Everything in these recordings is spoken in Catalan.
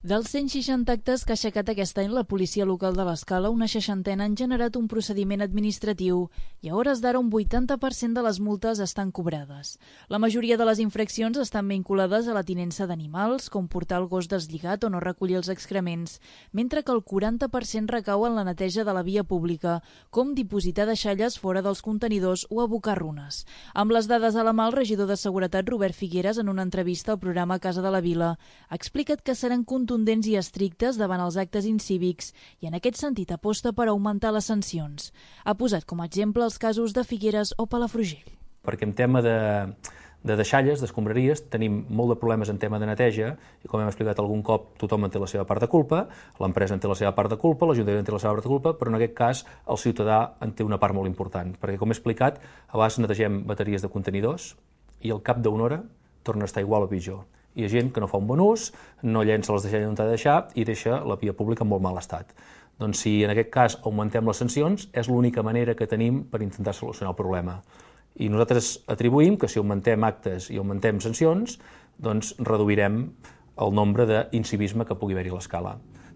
Dels 160 actes que ha aixecat aquest any la policia local de l'Escala, una 60 han generat un procediment administratiu i a hores d'ara un 80% de les multes estan cobrades. La majoria de les infraccions estan vinculades a la tinença d'animals, com portar el gos deslligat o no recollir els excrements, mentre que el 40% recau en la neteja de la via pública, com dipositar deixalles fora dels contenidors o abocar runes. Amb les dades a la mà, el regidor de Seguretat, Robert Figueres, en una entrevista al programa Casa de la Vila, ha explicat que seran contundents i estrictes davant els actes incívics i en aquest sentit aposta per augmentar les sancions. Ha posat com a exemple els casos de Figueres o Palafrugell. Perquè en tema de deixalles, d'escombraries, tenim molt de problemes en tema de neteja i, com hem explicat algun cop, tothom en té la seva part de culpa, l'empresa en té la seva part de culpa, l'Ajuntament en té la seva part de culpa, però en aquest cas el ciutadà en té una part molt important, perquè, com he explicat, a vegades netegem bateries de contenidors i al cap d'una hora torna a estar igual o pitjor. Hi ha gent que no fa un bon ús, no llença les deixalles on ha de deixar i deixa la via pública en molt mal estat. Doncs si en aquest cas augmentem les sancions, és l'única manera que tenim per intentar solucionar el problema. I nosaltres atribuïm que si augmentem actes i augmentem sancions, doncs reduirem el nombre d'incivisme que pugui haver-hi a l'Escala.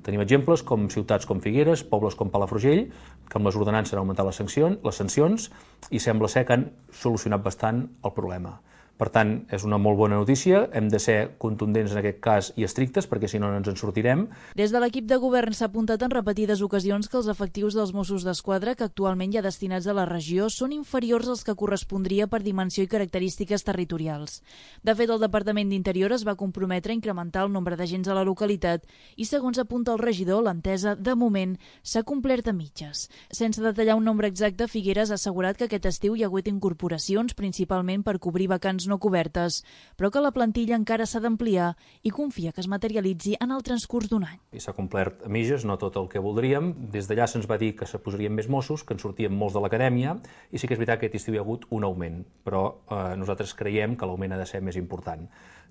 Tenim exemples com ciutats com Figueres, pobles com Palafrugell, que amb les ordenances han augmentat les sancions i sembla ser que han solucionat bastant el problema. Per tant, és una molt bona notícia, hem de ser contundents en aquest cas i estrictes, perquè si no, no ens en sortirem. Des de l'equip de govern s'ha apuntat en repetides ocasions que els efectius dels Mossos d'Esquadra que actualment hi ha destinats a la regió són inferiors als que correspondria per dimensió i característiques territorials. De fet, el Departament d'Interior es va comprometre a incrementar el nombre d'agents a la localitat i, segons apunta el regidor, l'entesa, de moment, s'ha complert a mitges. Sense detallar un nombre exacte, Figueres ha assegurat que aquest estiu hi ha hagut incorporacions, principalment per cobrir vacants no cobertes, però que la plantilla encara s'ha d'ampliar i confia que es materialitzi en el transcurs d'un any. I s'ha complert a mitges, no tot el que voldríem. Des d'allà se'ns va dir que se posarien més Mossos, que en sortien molts de l'acadèmia, i sí que és veritat que aquest estiu hi ha hagut un augment, però nosaltres creiem que l'augment ha de ser més important.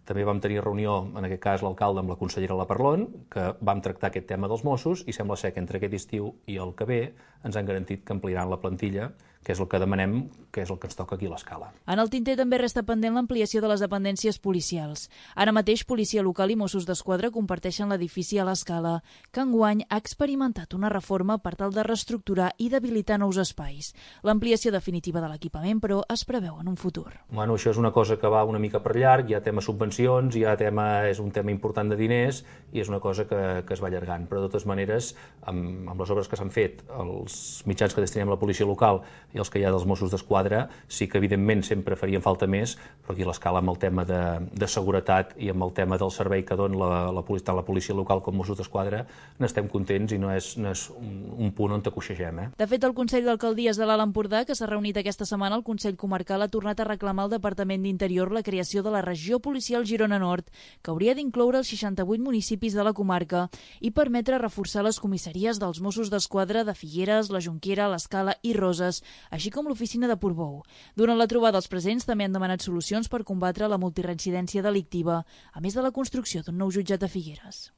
També vam tenir reunió, en aquest cas l'alcalde amb la consellera La Parlon, que vam tractar aquest tema dels Mossos i sembla ser que entre aquest estiu i el que ve ens han garantit que ampliaran la plantilla, que és el que demanem, que és el que ens toca aquí a l'Escala. En el tinter també resta pendent l'ampliació de les dependències policials. Ara mateix, Policia Local i Mossos d'Esquadra comparteixen l'edifici a l'Escala, que enguany ha experimentat una reforma per tal de reestructurar i d'habilitar nous espais. L'ampliació definitiva de l'equipament, però, es preveu en un futur. Bueno, això és una cosa que va una mica per llarg, hi ha tema subvencions, és un tema important de diners i és una cosa que es va allargant. Però, de totes maneres, amb les obres que s'han fet, els mitjans que destinem a la policia local i els que hi ha dels Mossos d'Esquadra, sí que evidentment sempre farien falta més, però aquí a l'Escala amb el tema de seguretat i amb el tema del servei que dona tant la policia local com Mossos d'Esquadra n'estem contents i no és un punt on coixegem. De fet, el Consell d'Alcaldies de l'Alt Empordà, que s'ha reunit aquesta setmana, el Consell Comarcal ha tornat a reclamar al Departament d'Interior la creació de la Regió Policial Girona Nord, que hauria d'incloure els 68 municipis de la comarca i permetre reforçar les comissaries dels Mossos d'Esquadra de Figueres, la Jonquera, l'Escala i Roses, així com l'oficina de Portbou. Durant la trobada, els presents també han demanat solucions per combatre la multireincidència delictiva, a més de la construcció d'un nou jutjat a Figueres.